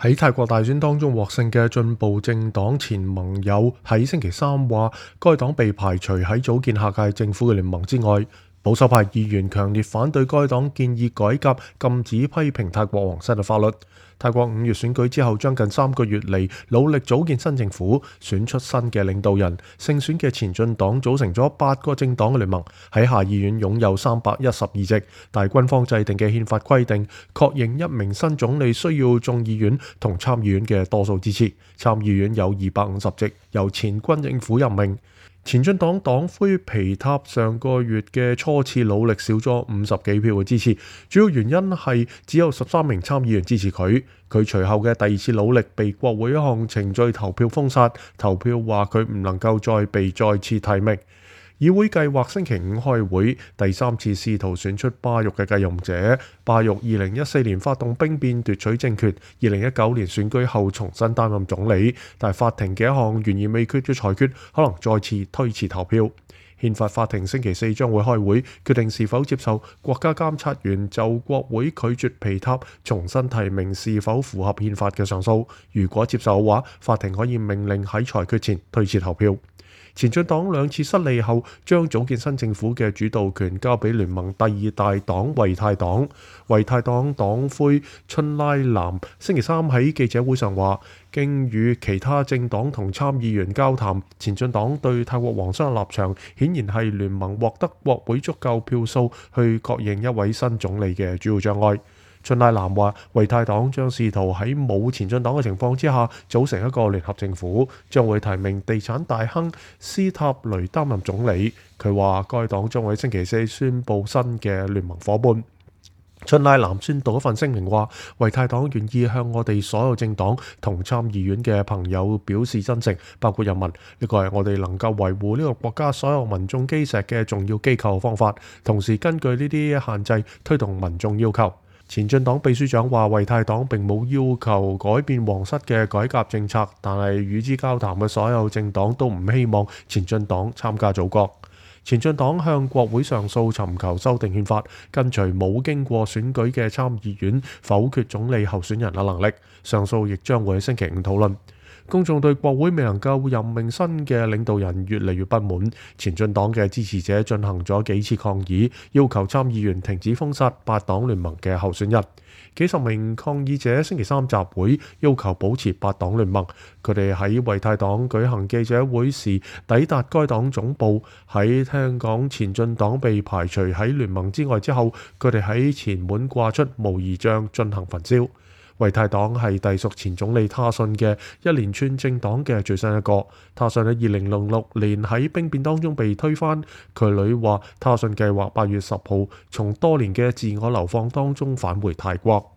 喺泰國大選當中獲勝嘅進步政黨前盟友喺星期三話，該黨被排除喺組建下屆政府嘅聯盟之外。保守派議員強烈反對該黨建議改革禁止批評泰國皇室嘅法律。泰國5月選舉之後，將近3個月嚟努力組建新政府，選出新嘅領導人。勝選嘅前進黨組成咗8個政黨嘅聯盟，喺下議院擁有312席。但軍方制定嘅憲法規定，確認一名新總理需要眾議院同參議院嘅多數支持。參議院有250席，由前軍政府任命。前進黨黨魁皮塔上個月嘅初次努力少咗50幾票嘅支持，主要原因係只有13名參議員支持佢。佢隨後嘅第2次努力被國會一項程序投票封殺，投票話佢唔能夠再被再次提名。議會計劃星期5開會，第3次試圖選出巴育嘅繼任者。巴育2014年發動兵變奪取政權，2019年選舉後重新擔任總理，但法庭嘅一項懸而未決嘅裁決可能再次推遲投票。憲法法庭星期4將會開會，決定是否接受國家監察員就國會拒絕皮塔重新提名是否符合憲法嘅上訴。如果接受嘅話，法庭可以命令喺裁決前推遲投票。前進黨2次失利後，將組建新政府嘅主導權交俾聯盟第2大黨維泰黨。維泰黨黨魁春拉南星期3喺記者會上話，經與其他政黨同參議員交談，前進黨對泰國皇室嘅立場顯然係聯盟獲得國會足夠票數去確認一位新總理嘅主要障礙。春拉南話，維泰黨將試圖喺冇前進黨嘅情況之下組成一個聯合政府，將會提名地產大亨斯塔雷擔任總理。佢話該黨將會喺星期4宣布新嘅聯盟伙伴。春拉南宣讀一份聲明話，維泰黨願意向我哋所有政黨同參議院嘅朋友表示真誠，包括人民。呢個係我哋能夠維護呢個國家所有民眾基石嘅重要機構方法，同時根據呢啲限制推動民眾要求。前進黨秘書長話，維泰黨並冇要求改變皇室嘅改革政策，但係與之交談嘅所有政黨都唔希望前進黨參加組閣。前進黨向國會上訴尋求修訂憲法，跟隨冇經過選舉嘅參議院否決總理候選人嘅能力。上訴亦將會喺星期5討論。公眾對國會未能夠任命新嘅領導人越嚟越不滿，前進黨嘅支持者進行咗幾次抗議，要求參議員停止封殺8黨聯盟嘅候選人。幾十名抗議者星期3集會，要求保持8黨聯盟。佢哋喺維泰黨舉行記者會時抵達該黨總部，喺聽講前進黨被排除喺聯盟之外之後，佢哋喺前門掛出模擬像進行焚燒。維泰黨係隸屬前總理他信嘅一連串政黨嘅最新一個。他信喺2006年喺兵變當中被推翻。佢女話他信計劃8月10號從多年嘅自我流放當中返回泰國。